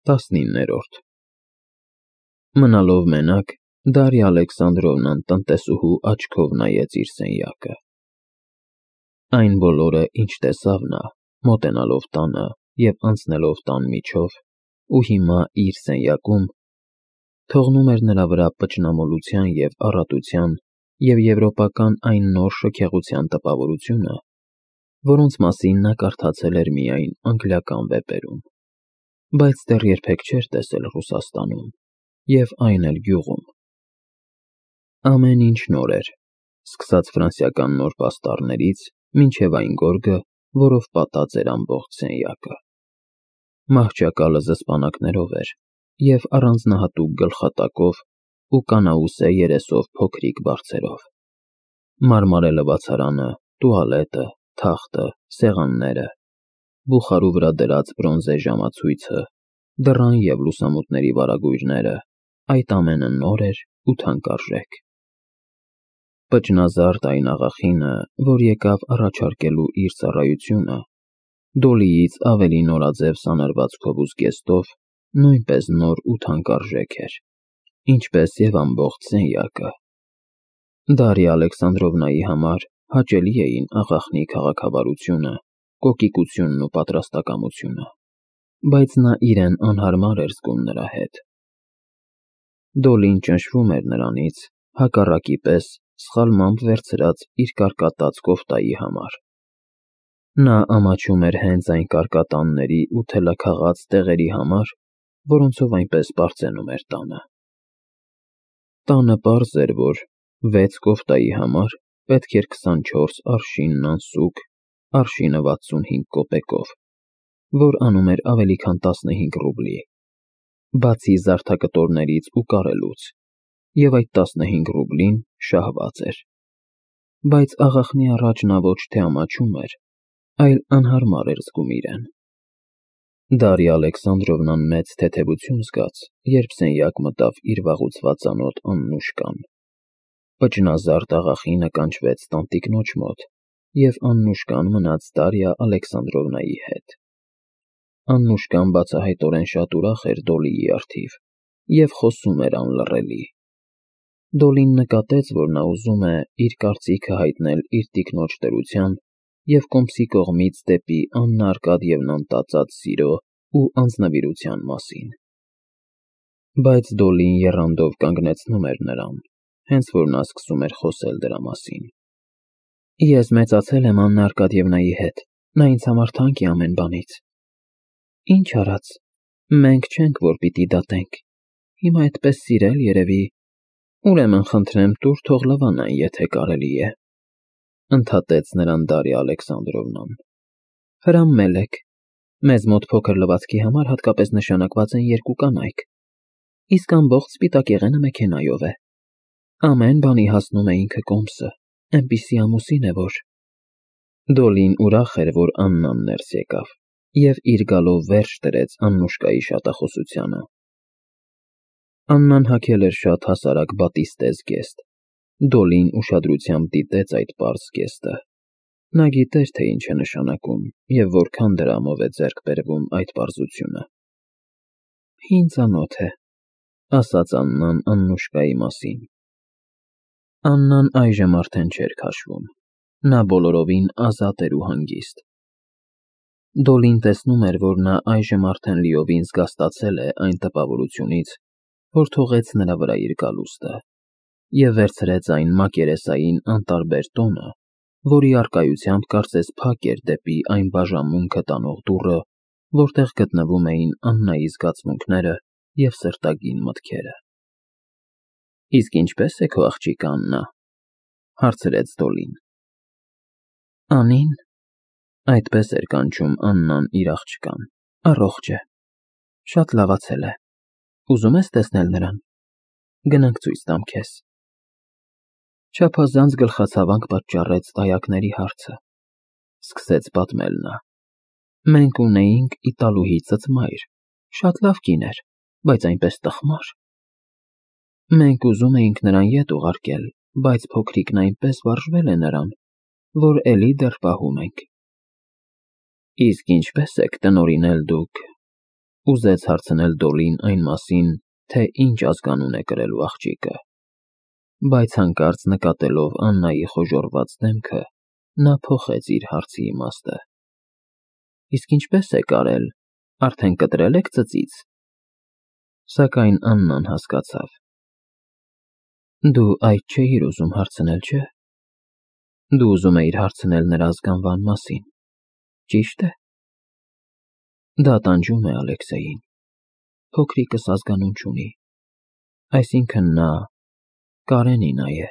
19-րդ Մնալով մենակ, Դարիա Ալեքսանդրովնան տնտեսուհու աչքով նայեց իր սենյակը։ Այն բոլորը, ինչ տեսավ նա, մոտենալով տանը և անցնելով տան միջով, ու հիմա իր սենյակում, թողնում էր նրա վրա պճնամոլության և առատության և եվրոպական այն նոր շքեղության տպավորությունը, որոնց մասին նա կարդացել էր միայն անգլիական վեպերում, բայց դեռ երբեք չէր տեսել Ռուսաստանում և այն էլ գյուղում։ Ամեն ինչ նոր էր, սկսած ֆրանսիական նոր պաստառներից մինչև այն գորգը, որով պատած էր ամբողջ սենյակը։ Մահճակալը զսպանակներով էր և առանձնահատուկ գլխատակով ու կանաուսե երեսով փոքրիկ բարձերով։ Մարմարե լվացարանը, տուալետը, թախտը, սեղանները, բուխարու վրա դրած բրոնզե ժամացույցը, դռան և լուսամուտների վարագույրները, այդ ամենը նոր էր ու թանկարժեք։ Պճնազարդ այն աղախինը, որ եկավ առաջարկելու իր ծառայությունը, Դոլիից ավելի նորաձև սանրվածքով ու զգեստով, նույնպես նոր ու թանկարժեք էր, ինչպես և ամբողջ սենյակը։ Դարիա Ալեքսանդրովնայի համար հաճելի էին աղախնի քաղաքավարությունը, կոկիկությունն ու պատրաստակամությունը, բայց նա իրեն անհարմար էր զգում նրա հետ։ Դոլին ճնշվում էր նրանից, հակառակի պես սխալմամբ վերցրած իր կարկատած կոֆտայի համար։ Նա ամաչում էր հենց այն կարկատանների ու թելաքաղաց տեղերի համար, որոնցով այնպես պարծենում էր տանը։ Տանը պարզ էր, որ 6 կոֆտայի համար պետք էր 24 արշին նանսուկ, արշինը 65 կոպեկով, որ անում էր ավելի քան 15 ռուբլի, բացի զարդակտորներից ու կարելուց, և այդ 15 ռուբլին շահված էր։ Բայց աղախնի առաջ նա ոչ թե ամաչում էր, այլ անհարմար էր զգում իրեն։ Դարիա Ալեքսանդրովնան մեծ թեթևություն զգաց, երբ սենյակ մտավ իր վաղուց ծանոթ Աննուշկան։ Պճնազարդ աղախինը կանչվեց տանտիկնոջ մոտ, և Աննուշկան մնաց Դարիա Ալեքսանդրովնայի հետ։ Աննուշկան բացահայտորեն շատ ուրախ էր Դոլիի առթիվ և խոսում էր անլռելի։ Դոլին նկատեց, որ նա ուզում է իր կարծիքը հայտնել իր տիկնոջ դրության և կոմսի կողմից դեպի Աննա Արկադիևնան տածած սիրո ու անձնվիրության մասին։ Բայց Դոլին եռանդով կանգնեցնում էր նրան, հենց որ նա սկսում էր խոսել դրա մասին։ Ես մեծացել եմ Աննա Արկադիևնայի հետ, նա ինձ համար թանկ է ամեն բանից։ Ինչ արած, մենք չենք, որ պիտի դատենք, հիմա այդպես սիրել երևի, ուրեմն խնդրեմ տուր թող լվանան, եթե կարելի է, ընդհատեց նրան Դարիա Ալեքսանդրովնան։ Հրամմել եք, մեզ մոտ փոքր լվացքի համար հատկապես նշանակված են 2 կանայք, իսկ ամբողջ սպիտակեղենը մեքենայով է։ Ամեն բանի հասնում է ինքը կոմսը, այնպիսի ամուսին է, որ… Դոլին ուրախ էր, որ Աննան ներս եկավ, և իր գալով վերջ դրեց Աննուշկայի շատախոսությանը։ Աննան հագել էր շատ հասարակ բատիստե զգեստ։ Դոլին ուշադրությամբ դիտեց այդ պարզ զգեստը։ Նա գիտեր, թե ինչ է նշանակում և որքան դրամով է ձեռք բերվում այդ պարզությունը։ Հին ծանոթ է, ասաց Աննան Աննուշկայի մասին։ Աննան այժմ արդեն չէր քաշվում, նա բոլորովին ազատ էր ու հանգիստ։ Դոլին տեսնում էր, որ նա այժմ արդեն լիովին զգաստացել է այն տպավորությունից, որ թողեց նրա վրա իր գալուստը, և վերցրեց այն մակերեսային անտարբեր տոնը, որի առկայությամբ կարծես փակ էր դեպի այն բաժանմունքը տանող դուռը, որտեղ գտնվում էին Աննայի զգացմունքները և սրտագին մտքերը։ Իսկ ինչպե՞ս է քո աղջիկը Աննա, հարցրեց Դոլին։ Անին, այդպես էր կանչում Աննան իր աղջկան, առողջ է, շատ լավացել է, ուզում ես տեսնել նրան, գնանք ցույց տամ քեզ։ Չափազանց գլխացավանք պատճառեց դայակների հարցը, սկսեց պատմել նա։ Մենք ունեինք Իտալուհի ծծմայր, շատ լավ կին էր, բայց այնպես տխմար։ Մենք ուզում էինք նրան ետ ուղարկել, բայց փոքրիկն այնպես վարժվել է նրան, որ էլի դեռ պահում ենք։ Իսկ ինչպե՞ս եք տնօրինել դուք… ուզեց հարցնել Դոլին այն մասին, թե ինչ ազգանուն է կրելու աղջիկը, բայց հանկարծ նկատելով Աննայի խոժոռված դեմքը, նա փոխեց իր հարցի իմաստը։ Իսկ ինչպես եք արել, արդեն կտրել եք ծծից։ Սակայն Աննան հասկացավ։ Դու այդ չէիր ուզում հարցնել, չէ՞։ Դու ուզում էիր հարցնել նրա ազգանվան մասին, ճի՞շտ է։ Դա տանջում է Ալեքսեյին։ Փոքրիկս ազգանուն չունի, այսինքն նա Կարենինա է,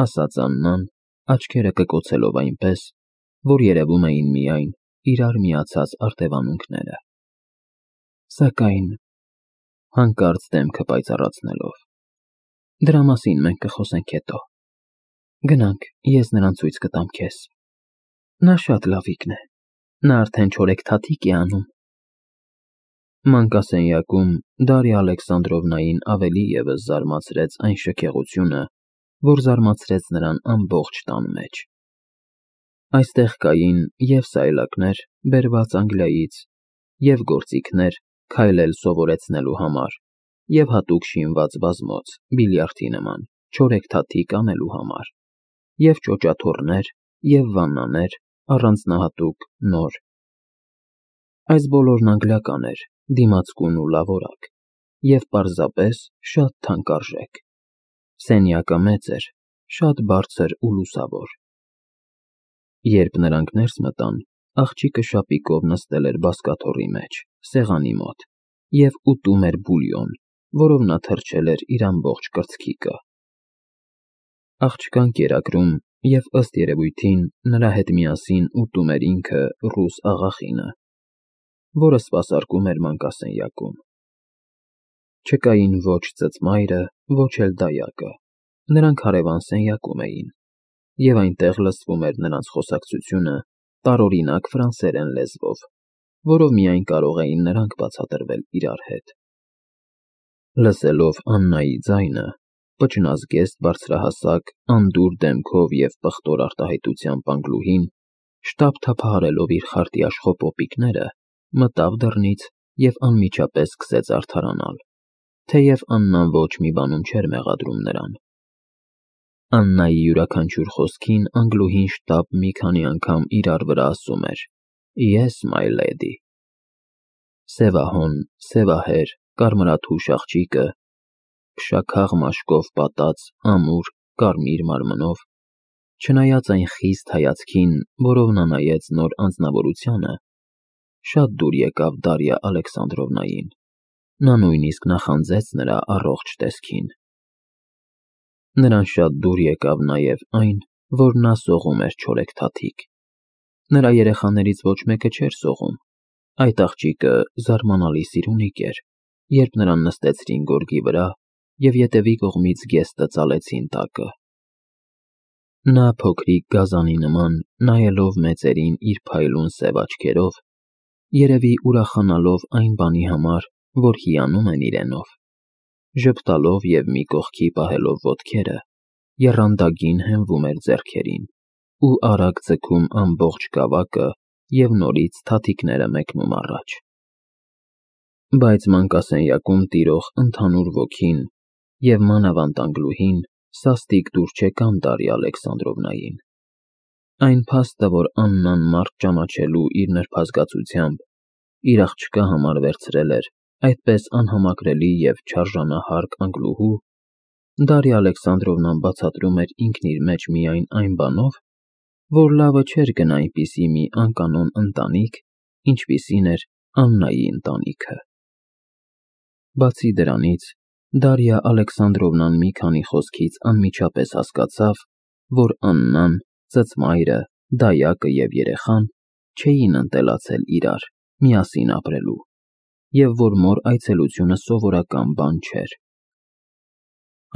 ասաց Աննան, աչքերը կկոցելով այնպես, որ երևում էին միայն իրար միացած արտևանունքները։ Սակայն հանկարծ դեմքը պայծառացնելով. Դրա մասին մենք կխոսենք հետո։ Գնանք, ես նրան ցույց կտամ քեզ։ Նա շատ լավիկն է, նա արդեն չորեքթաթիկ է անում։ Մանկասենյակում Դարիա Ալեքսանդրովնային ավելի ևս զարմացրեց այն շքեղությունը, որ զարմացրեց նրան ամբողջ տան մեջ։ Այստեղ կային և սայլակներ, բերված Անգլիայից, և գործիքներ քայլել սովորեցնելու համար, և հատուկ շինված բազմոց, բիլիարդի նման, չորեքթաթիկ անելու համար, և ճոճաթոռներ, և վաննաներ, առանձնահատուկ, նոր։ Այս բոլորն անգլիական էր, դիմացկուն ու լավորակ, և պարզապես շատ թանկարժեք։ Սենյակը մեծ էր, շատ բարձր ու լուսավոր։ Երբ նրանք ներս մտան, աղջիկը շապիկով նստել էր բազկաթոռի մեջ, սեղանի մոտ, և ուտում էր բուլյոն, որով նա թրջել էր իր ամբողջ կրծքիկը։ Աղջկան կերակրում և ըստ երևույթին նրա հետ միասին ուտում էր ինքը ռուս աղախինը, որը սպասարկում էր մանկասենյակում։ Չկային ոչ ծծմայրը, ոչ էլ դայակը, նրանք հարևան սենյակում էին, և այնտեղ լսվում էր նրանց խոսակցությունը տարօրինակ ֆրանսերեն լեզվով, որով միայն կարող էին նրանք բացատրվել իրար հետ։ Լսելով Աննայի ձայնը, պճնազգեստ բարձրահասակ, անդուր դեմքով և պղտոր արտահայտությամբ անգլուհին, շտապ թափահարելով իր խարտի աշխոպոպիկները, մտավ դռնից և անմիջապես սկսեց արդարանալ, թեև Աննան ոչ մի բանում չէր մեղադրում նրան։ Աննայի յուրաքանչյուր խոսքին անգլուհին շտապ մի քանի անգամ իրար վրա ասում էր. Yes, my lady։ Սևահոն, սևահեր, կարմրաթուշ աղջիկը, փշաքաղ մաշկով պատած, ամուր, կարմիր մարմնով, չնայած այն խիստ հայացքին, որով նա նայեց նոր անձնավորությանը, շատ դուր եկավ Դարիա Ալեքսանդրովնային, նա նույնիսկ նախանձեց նրա առողջ տեսքին։ Նրան շատ դուր եկավ նաև այն, որ նա սողում էր չորեքթաթիկ։ Նրա երեխաներից ոչ մեկը չէր սողում։ Այդ աղջիկը զարմանալի սիրունիկ էր, երբ նրան նստեցրին գորգի վրա և ետևի կողմից գեստը ծալեցին տակը։ Նա փոքրիկ գազանի նման, նայելով մեծերին իր փայլուն սև աչքերով, երևի ուրախանալով այն բանի համար, որ հիանում են իրենով, ժպտալով և մի կողքի պահելով ոտքերը, եռանդագին հենվում էր ձեռքերին ու արագ ձգում ամբողջ գավակը և նորից թաթիկները մեկնում առաջ։ Բայց մանկասենյակում տիրող ընդհանուր ոգին և մանավանդ անգլուհին սաստիկ դուր չեկան Դարիա Ալեքսանդրովնային։ Այն փաստը, որ Աննան մարդ ճանաչելու իր նրբազգացությամբ իր աղջկա համար վերցրել էր այդպես անհամակրելի և չարժանահարկ անգլուհու, Դարիա Ալեքսանդրովնան բացատրում էր ինքն իր մեջ միայն այն բանով, որ լավը չէր գնա այնպիսի մի անկանոն ընտանիք, ինչպիսին էր Աննայի ընտանիքը։ Բացի դրանից, Դարիա Ալեքսանդրովնան մի քանի խոսքից անմիջապես հասկացավ, որ Աննան, ծծմայրը, դայակը և երեխան չէին ընտելացել իրար, միասին ապրելու, և որ մոր այցելությունը սովորական բան չէր։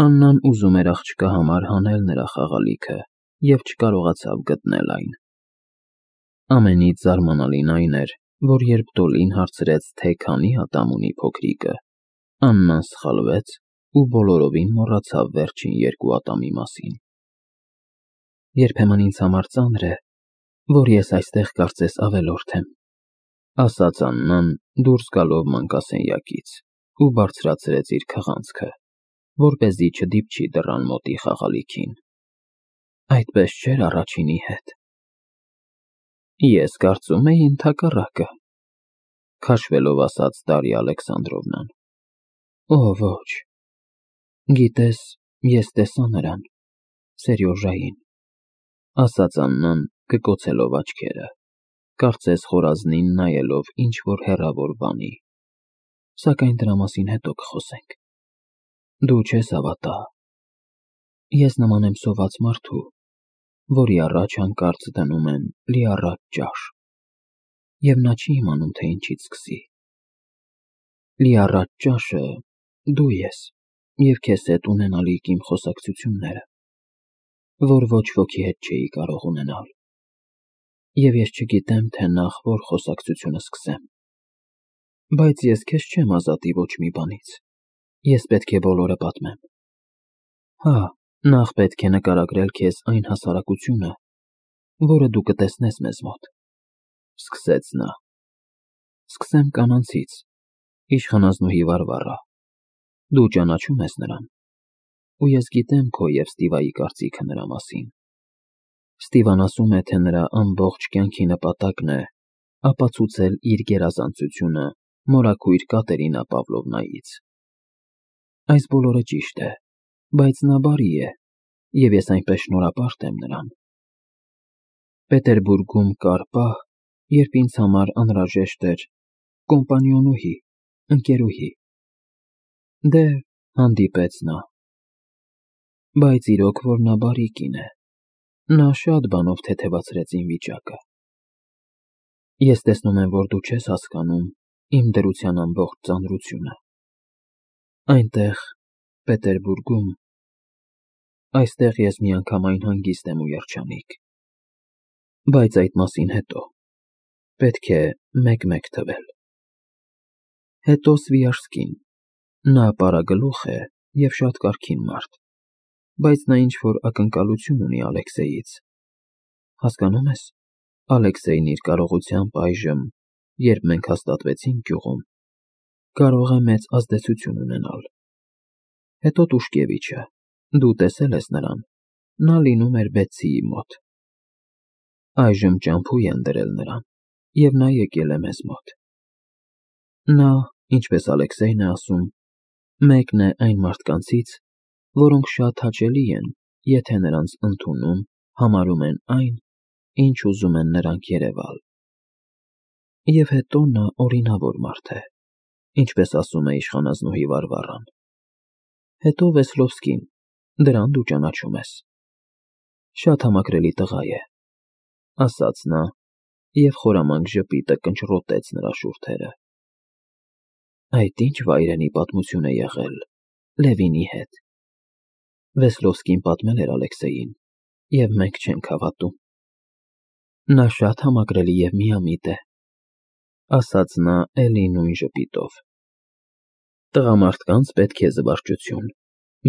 Աննան ուզում էր աղջկա համար հանել նրա խաղալիքը և չկարողացավ գտնել այն։ Ամենից զարմանալին այն էր, որ երբ Դոլին հարցրեց, թե քանի ատամ ունի փոքրիկը, Աննան սխալվեց ու բոլորովին մոռացավ վերջին 2 ատամի մասին։ Երբեմն ինձ համար ծանր է, որ ես այստեղ կարծես ավելորդ եմ, ասաց Աննան դուրս գալով մանկասենյակից ու բարձրացրեց իր քղանցքը, որպեսզի չդիպչի դռան մոտի խաղալիքին։ Այդպես չէր առաջինի հետ։ Ես կարծում էի ընդհակառակը, քաշվելով ասաց Դարիա Ալեքսանդրովնան։ Օ, ոչ։ Գիտես, ես տեսա նրան, Սերյոժային, ասաց Աննան կկոցելով աչքերը, կարծես խորազնին նայելով ինչ-որ հեռավոր բանի։ Սակայն դրա մասին հետո կխոսենք։ Դու չես հավատա։ Ես նման եմ սոված մարդու, որի առաջ հանկարծ դնում են լիառատ ճաշ, և նա չի իմանում, թե ինչից սկսի։ Լիառատ ճաշը դու ես և քեզ հետ ունենալիք իմ խոսակցությունները, որ ոչ ոքի հետ չէի կարող ունենալ, և ես չգիտեմ, թե նախ որ խոսակցությունը սկսեմ, բայց ես քեզ չեմ ազատի ոչ մի բանից, ես պետք է բոլորը պատմեմ։ Հա, նախ պետք է նկարագրել քեզ այն հասարակությունը, որը դու կտեսնես մեզ մոտ, սկսեց նա։ Սկսեմ կանանցից, իշխանազնուհի Վարվառա, դու ճանաչում ես նրան, ու ես գիտեմ քո և Ստիվայի կարծիքը նրա մասին։ Ստիվան ասում է, թե նրա ամբողջ կյանքի նպատակն է ապացուցել իր գերազանցությունը մորաքույր Կատերինա Պավլովնայից։ Այս բոլորը ճիշտ է, բայց նա բարի է, և ես այնպես շնորհապարտ եմ նրան։ Պետերբուրգում կար պահ, երբ ինձ համար անհրաժեշտ էր կոմպանիոնուհի, ընկերուհի։ Դե, հանդիպեց նա։ Բայց իրոք որ նա բարի կին է, նա շատ բանով թեթևացրեց իմ վիճակը։ Ես տեսնում եմ, որ դու չես հասկանում իմ դրության ամբողջ ծանրությունը։ Այնտեղ, Պետերբուրգում, այստեղ ես միանգամայն հանգիստ եմ ու երջանիկ։ Բայց այդ մասին հետո, պետք է մեկ-մեկ թվել։ Հետո Սվիաժսկին, նա պարագլուխ է և շատ կարգին մարդ, բայց նա ինչ-որ ակնկալություն ունի Ալեքսեյից։ Հասկանում ես, Ալեքսեյն իր կարողությամբ այժմ, երբ մենք հաստատվեցինք գյուղում, կարող է մեծ ազդեցություն ունենալ։ Հետո Տուշկևիչը, դու տեսել ես նրան, նա լինում էր Բեցիի մոտ։ Այժմ ճամփու են դրել նրան, և նա եկել է մեզ մոտ։ Նա, ինչպես Ալեքսեյն է ասում, մեկն է այն մարդկանցից, որոնք շատ հաճելի են, եթե նրանց ընդունում, համարում են այն, ինչ ուզում են նրանք երևալ։ Եվ հետո նա օրինավոր մարդ է, ինչպես ասում է իշխանազնուհի Վարվառան։ Հետո Վեսլովսկին, դրան դու ճանաչում ես։ Շատ համակրելի տղա է, ասաց նա, և խորամանկ ժպիտը կնճռոտեց նրա շուրթերը։ Այդ ինչ վայրենի պատմություն է եղել Լևինի հետ։ Վեսլովսկին պատմել էր Ալեքսեյին, և մենք չենք հավատում։ Նա շատ համակրելի և միամիտ է, ասաց նա էլի նույն ժպիտով։ Տղամարդկանց պետք է զվարճություն,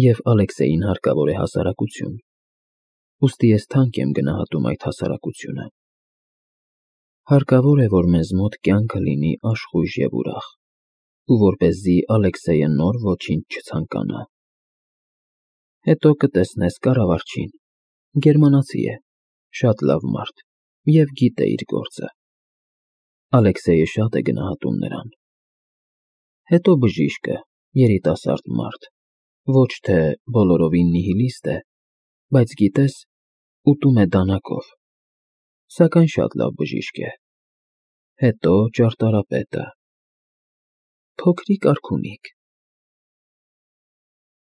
և Ալեքսեյին հարկավոր է հասարակություն, ուստի ես թանկ եմ գնահատում այդ հասարակությունը։ Հարկավոր է, որ մեզ մոտ կյանքը լինի աշխույժ և ուրախ, ու որպեսզի Ալեքսեյը նոր ոչինչ չցանկանա։ Հետո կտեսնես կառավարչին, գերմանացի է, շատ լավ մարդ և գիտե իր գործը։ Ալեքսեյը շատ է գնահատում նրան։ Հետո բժիշկը, երիտասարդ մարդ, ոչ թե բոլորովին նիհիլիստ է, բայց գիտես, ուտում է դանակով, սակայն շատ լավ բժիշկ է։ Հետո ճարտարապետը։ Փոքրիկ արքունիկ,